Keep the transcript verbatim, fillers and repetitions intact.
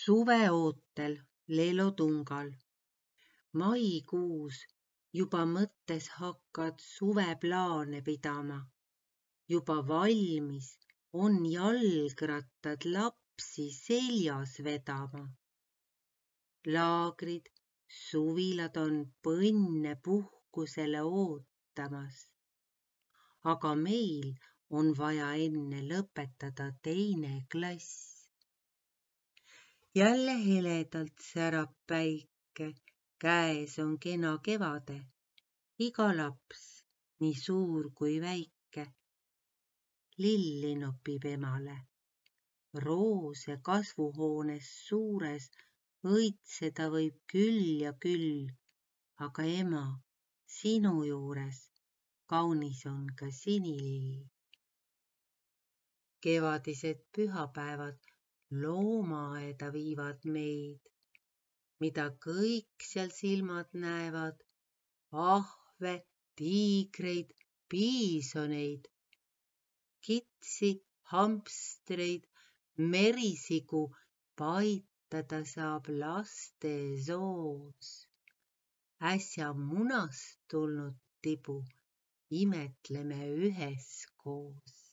Suveootel Leelotungal. Maikuus juba mõttes hakkad suveplaane pidama. Juba valmis on jalgrattad lapsi seljas vedama. Laagrid, suvilad on põnne puhkusele ootamas. Aga meil on vaja enne lõpetada teine klass. Jälle heledalt särab päike, käes on kena kevade. Iga laps, nii suur kui väike, lilli nopib emale. Roose kasvuhoones suures õitseda võib küll ja küll, aga ema, sinu juures kaunis on ka sinilill. Kevadised pühapäevad loomaaeda viivad meid, mida kõik seal silmad näevad, ahve, tiigreid, piisoneid, kitsi, hamstreid, merisigu paitada saab laste soos. Äsja munast tulnud tibu imetleme üheskoos.